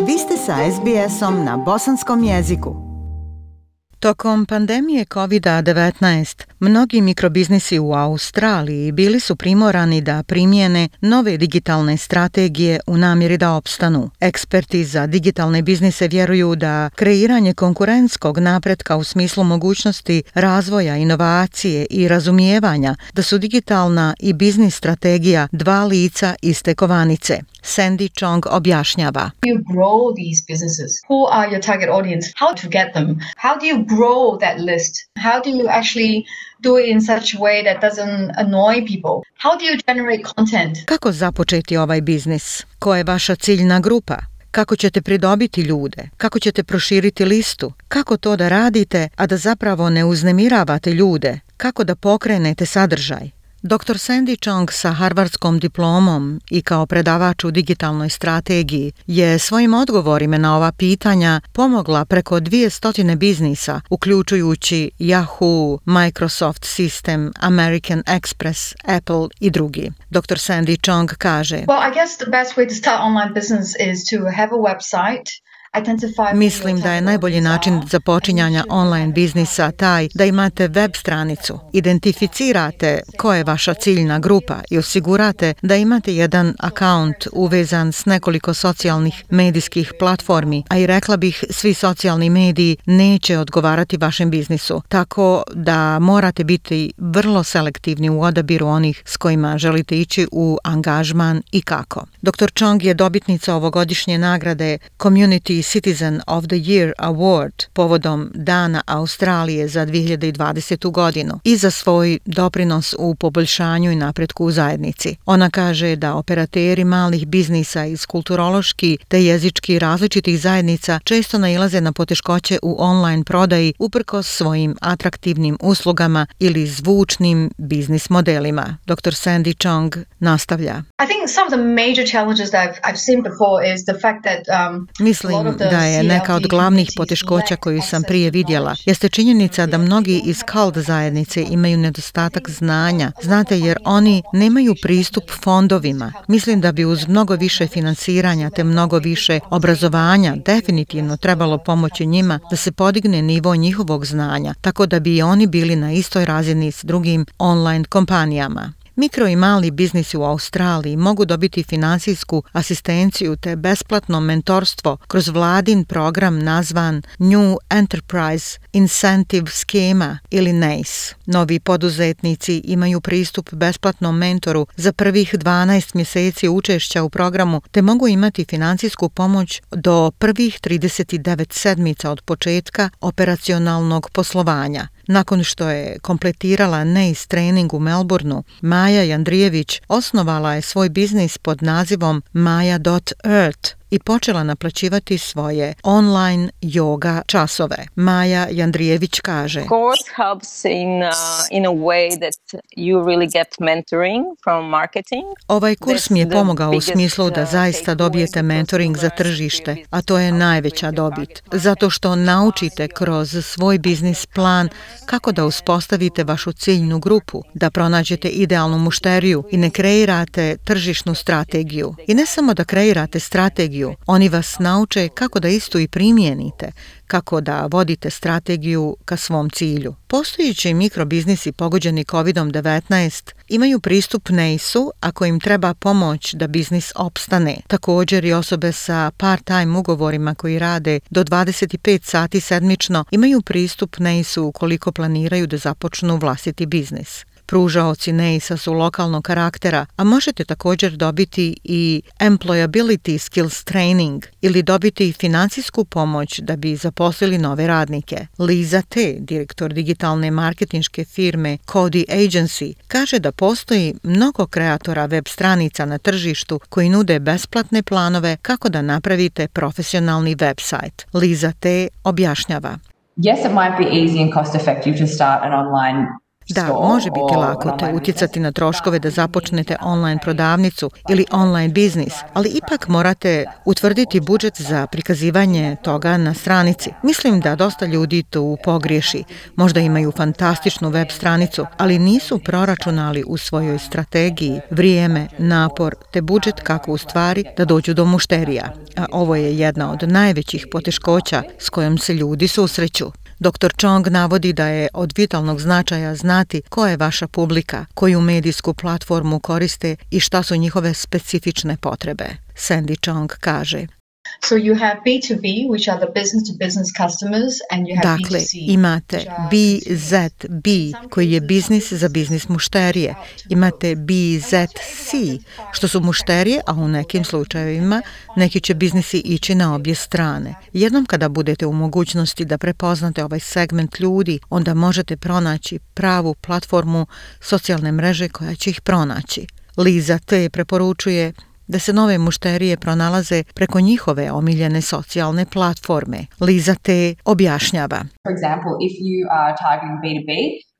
Vi ste sa SBS-om na bosanskom jeziku. Tokom pandemije COVID-19, mnogi mikrobiznisi u Australiji bili su primorani da primjene nove digitalne strategije u namjeri da opstanu. Eksperti za digitalne biznise vjeruju da kreiranje konkurentskog napretka u smislu mogućnosti razvoja, inovacije i razumijevanja da su digitalna i biznis strategija dva lica iste kovanice. Sandy Chong objašnjava. You grow these businesses. Who are your target audience? How to get them? How do you grow that list? How do you actually do it in such a way that doesn't annoy people? How do you generate content? Kako započeti ovaj biznis? Koja je vaša ciljna grupa? Kako ćete pridobiti ljude? Kako ćete proširiti listu? Kako to da radite, a da zapravo ne uznemiravate ljude? Kako da pokrenete sadržaj? Dr. Sandy Chong sa harvardskom diplomom i kao predavač u digitalnoj strategiji je svojim odgovorima na ova pitanja pomogla preko 200 biznisa, uključujući Yahoo, Microsoft System, American Express, Apple i drugi. Dr. Sandy Chong kaže: Well, I guess the best way to start online business is to have a website. Mislim da je najbolji način započinjanja online biznisa taj da imate web stranicu, identificirate ko je vaša ciljna grupa i osigurate da imate jedan akaunt uvezan s nekoliko socijalnih medijskih platformi, a i rekla bih svi socijalni mediji neće odgovarati vašem biznisu, tako da morate biti vrlo selektivni u odabiru onih s kojima želite ići u angažman i kako. Dr. Chong je dobitnica ovogodišnje nagrade Community Citizen of the Year Award povodom Dana Australije za 2020. godinu i za svoj doprinos u poboljšanju i napretku u zajednici. Ona kaže da operateri malih biznisa iz kulturološki te jezički različitih zajednica često nailaze na poteškoće u online prodaji uprkos svojim atraktivnim uslugama ili zvučnim biznis modelima. Dr. Sandy Chong nastavlja. I think some of the major challenges that I've seen before is the fact that Mislim da je neka od glavnih poteškoća koju sam prije vidjela jeste činjenica da mnogi iz cult zajednice imaju nedostatak znanja. Znate, jer oni nemaju pristup fondovima. Mislim da bi uz mnogo više finansiranja te mnogo više obrazovanja definitivno trebalo pomoći njima da se podigne nivo njihovog znanja, tako da bi oni bili na istoj razini s drugim online kompanijama. Mikro i mali biznisi u Australiji mogu dobiti finansijsku asistenciju te besplatno mentorstvo kroz vladin program nazvan New Enterprise Incentive Schema ili NEIS. Novi poduzetnici imaju pristup besplatnom mentoru za prvih 12 mjeseci učešća u programu te mogu imati finansijsku pomoć do prvih 39 sedmica od početka operacionalnog poslovanja. Nakon što je kompletirala NEIS trening u Melbourneu, Maja Jandrijević osnovala je svoj biznis pod nazivom Maja.earth i počela naplaćivati svoje online yoga časove. Maja Jandrijević kaže: Course helps in a way that you really get mentoring from marketing. Ovaj kurs mi je pomogao u smislu da zaista dobijete mentoring za tržište, a to je najveća dobit. Zato što naučite kroz svoj biznis plan kako da uspostavite vašu ciljnu grupu, da pronađete idealnu mušteriju i ne kreirate tržišnu strategiju. I ne samo da kreirate strategiju, oni vas nauče kako da istu i primijenite, kako da vodite strategiju ka svom cilju. Postojeći mikrobiznisi pogođeni COVID-19 imaju pristup NEIS-u ako im treba pomoć da biznis opstane. Također i osobe sa part-time ugovorima koji rade do 25 sati sedmično imaju pristup NEIS-u ukoliko planiraju da započnu vlastiti biznis. Pružaoci NEIS-a su lokalnog karaktera, a možete također dobiti i Employability Skills Training ili dobiti financijsku pomoć da bi zaposlili nove radnike. Liza T., direktor digitalne marketinške firme Cody Agency, kaže da postoji mnogo kreatora web stranica na tržištu koji nude besplatne planove kako da napravite profesionalni website. Liza T. objašnjava. Yes, it might be easy and cost effective to start an online Da, može biti lako te utjecati na troškove da započnete online prodavnicu ili online biznis, ali ipak morate utvrditi budžet za prikazivanje toga na stranici. Mislim da dosta ljudi tu pogriješi. Možda imaju fantastičnu web stranicu, ali nisu proračunali u svojoj strategiji vrijeme, napor te budžet kako u stvari da dođu do mušterija. A ovo je jedna od najvećih poteškoća s kojom se ljudi susreću. Dr. Chong navodi da je od vitalnog značaja znati ko je vaša publika, koju medijsku platformu koriste i šta su njihove specifične potrebe. Sandy Chong kaže: So you have B2B, which are the business-to-business customers, and you have Dakle, B2C. imate BZB, koji je biznis za biznis mušterije. Imate BZC, što su mušterije, a u nekim slučajevima neki će biznisi ići na obje strane. Jednom kada budete u mogućnosti da prepoznate ovaj segment ljudi, onda možete pronaći pravu platformu socijalne mreže koja će ih pronaći. Liza T. preporučuje da se nove mušterije pronalaze preko njihove omiljene socijalne platforme. Liza T. objašnjava. For example, if you are targeting B2B,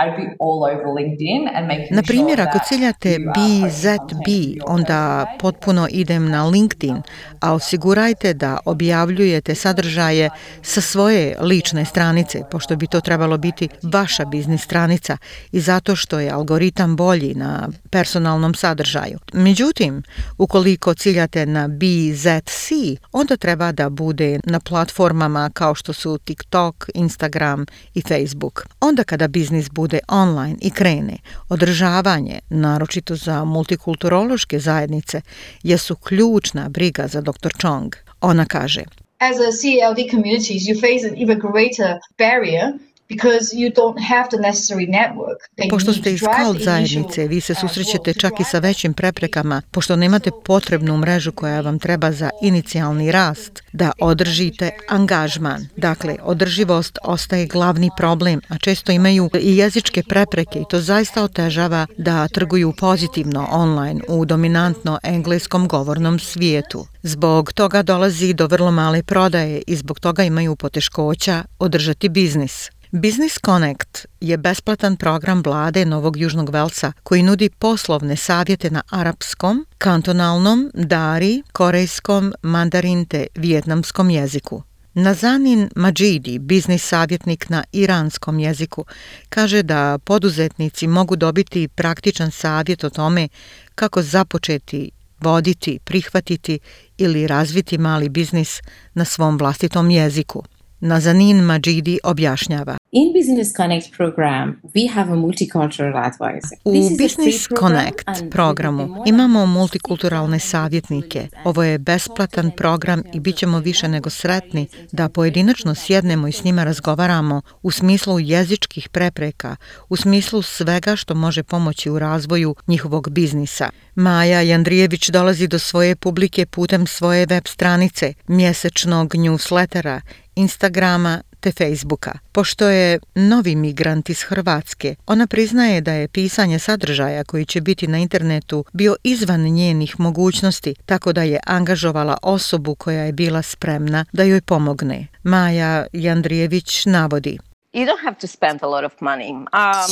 I'd be all over LinkedIn and making Na primjer, sure ako that ciljate you are BZB, onda potpuno idem na LinkedIn, a osigurajte da objavljujete sadržaje sa svoje lične stranice, pošto bi to trebalo biti vaša biznis stranica i zato što je algoritam bolji na personalnom sadržaju. Međutim, ukoliko ciljate na BZC, onda treba da bude na platformama kao što su TikTok, Instagram i Facebook. Onda kada biznis bude online i krene, održavanje, naročito za multikulturološke zajednice, jesu ključna briga za Dr. Chong. Ona kaže: As a CLD communities, you face an even greater barrier because you don't have the necessary network. Pošto ste iz CALD zajednice, vi se susrećete čak i sa većim preprekama, pošto nemate potrebnu mrežu koja vam treba za inicijalni rast, da održite angažman. Dakle, održivost ostaje glavni problem, a često imaju i jezičke prepreke i to zaista otežava da trguju pozitivno online u dominantno engleskom govornom svijetu. Zbog toga dolazi do vrlo male prodaje i zbog toga imaju poteškoća održati biznis. Business Connect je besplatan program vlade Novog Južnog Velsa koji nudi poslovne savjete na arapskom, kantonalnom, dari, korejskom, mandarin te vijetnamskom jeziku. Nazanin Majidi, biznis savjetnik na iranskom jeziku, kaže da poduzetnici mogu dobiti praktičan savjet o tome kako započeti, voditi, prihvatiti ili razviti mali biznis na svom vlastitom jeziku. Nazanin Majidi objašnjava. In Business Connect program, we have a multicultural advisor. U Business Connect programu imamo multikulturalne savjetnike. Ovo je besplatan program i bit ćemo više nego sretni da pojedinačno sjednemo i s njima razgovaramo u smislu jezičkih prepreka, u smislu svega što može pomoći u razvoju njihovog biznisa. Maja Jandrijević dolazi do svoje publike putem svoje web stranice, mjesečnog newslettera, Instagrama te Facebooka. Pošto je novi migrant iz Hrvatske, ona priznaje da je pisanje sadržaja koji će biti na internetu bio izvan njenih mogućnosti, tako da je angažovala osobu koja je bila spremna da joj pomogne. Maja Jandrijević navodi: You don't have to spend a lot of money.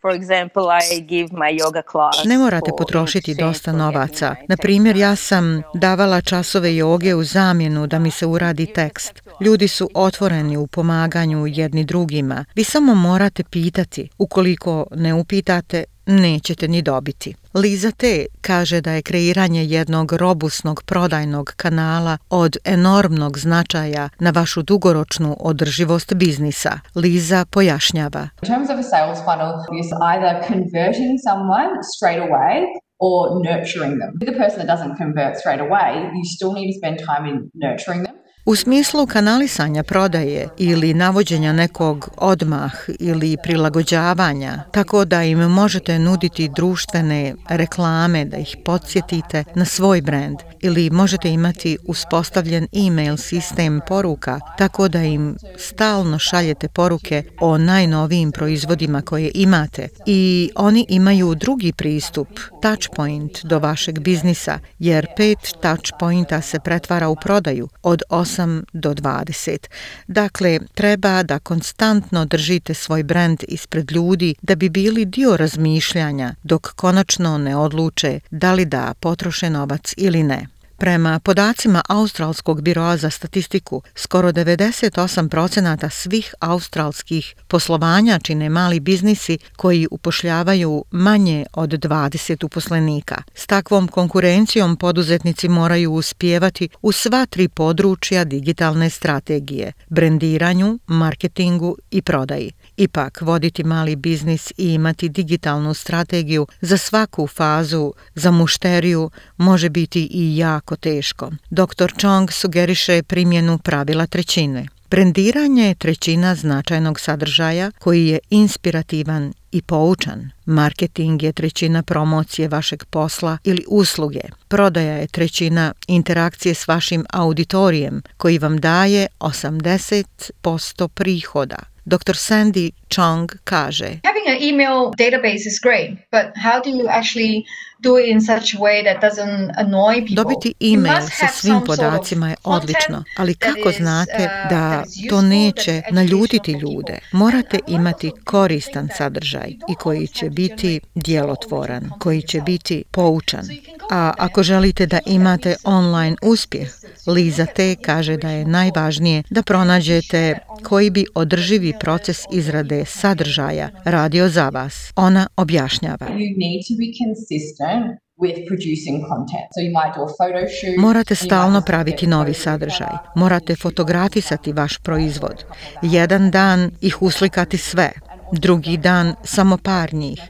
For example, I give my yoga class. Ne morate potrošiti dosta novaca. Na primjer, ja sam davala časove joge u zamjenu da mi se uradi tekst. Ljudi su otvoreni u pomaganju jedni drugima. Vi samo morate pitati. Ukoliko ne upitate, nećete ni dobiti. Liza T. kaže da je kreiranje jednog robusnog prodajnog kanala od enormnog značaja na vašu dugoročnu održivost biznisa. Liza pojašnjava. In terms of a sales funnel, it's either converting someone straight away or nurturing them. With the person that doesn't convert straight away, you still need to spend time in nurturing them. U smislu kanalisanja prodaje ili navođenja nekog odmah ili prilagođavanja, tako da im možete nuditi društvene reklame, da ih podsjetite na svoj brand, ili možete imati uspostavljen e-mail sistem poruka, tako da im stalno šaljete poruke o najnovijim proizvodima koje imate i oni imaju drugi pristup, touchpoint do vašeg biznisa, jer 5 touchpointa se pretvara u prodaju od 8 8 do 20. Dakle, treba da konstantno držite svoj brend ispred ljudi da bi bili dio razmišljanja dok konačno ne odluče da li da potroše novac ili ne. Prema podacima Australskog biroa za statistiku, skoro 98% svih australskih poslovanja čine mali biznisi koji upošljavaju manje od 20 uposlenika. S takvom konkurencijom poduzetnici moraju uspijevati u sva 3 područja digitalne strategije: brendiranju, marketingu i prodaji. Ipak, voditi mali biznis i imati digitalnu strategiju za svaku fazu za mušteriju može biti i jako teško. Dr. Chong sugeriše primjenu pravila trećine. Brendiranje je trećina značajnog sadržaja koji je inspirativan i poučan. Marketing je trećina promocije vašeg posla ili usluge. Prodaja je trećina interakcije s vašim auditorijem koji vam daje 80% prihoda. Dr. Sandy Chong kaže: Having an email database is great, but how do you actually do it in such a way that doesn't annoy people? Dobiti e-mail sa svim podacima je odlično, ali kako znate da to neće naljutiti ljude? Morate imati koristan sadržaj i koji će biti djelotvoran, koji će biti poučan. A ako želite da imate online uspjeh, Liza T. kaže da je najvažnije da pronađete koji bi održivi proces izrade sadržaja radio za vas. Ona objašnjava: morate stalno praviti novi sadržaj. Morate fotografisati vaš proizvod. Jedan dan ih uslikati sve, drugi dan samo par njih,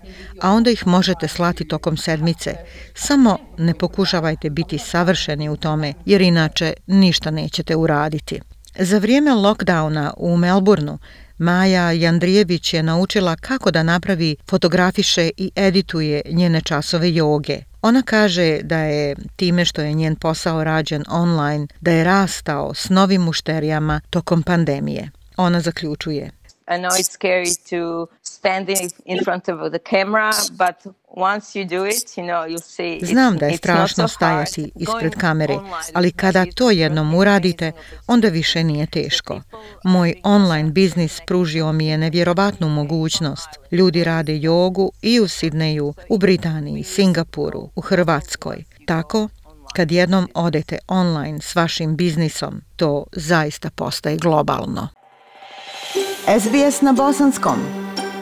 a onda ih možete slati tokom sedmice. Samo ne pokušavajte biti savršeni u tome, jer inače ništa nećete uraditi. Za vrijeme lockdowna u Melbourneu Maja Jandrijević je naučila kako da napravi, fotografiše i edituje njene časove joge. Ona kaže da je time što je njen posao rađen online, da je rastao s novim mušterijama tokom pandemije. Ona zaključuje: I know it's scary to stand in front of the camera, but once you do it, you'll see. Znam da je strašno stajati ispred kamere, ali kada to jednom uradite, onda više nije teško. Moj online biznis pružio mi je nevjerovatnu mogućnost. Ljudi rade jogu i u Sidneju, u Britaniji, Singapuru, u Hrvatskoj. Tako, kad jednom odete online s vašim biznisom, to zaista postaje globalno. SBS na bosanskom.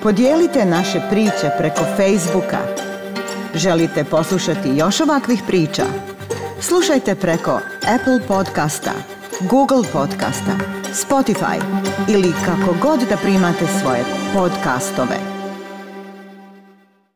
Podijelite naše priče preko Facebooka. Želite poslušati još ovakvih priča? Slušajte preko Apple podcasta, Google podcasta, Spotify ili kako god da primate svoje podcastove.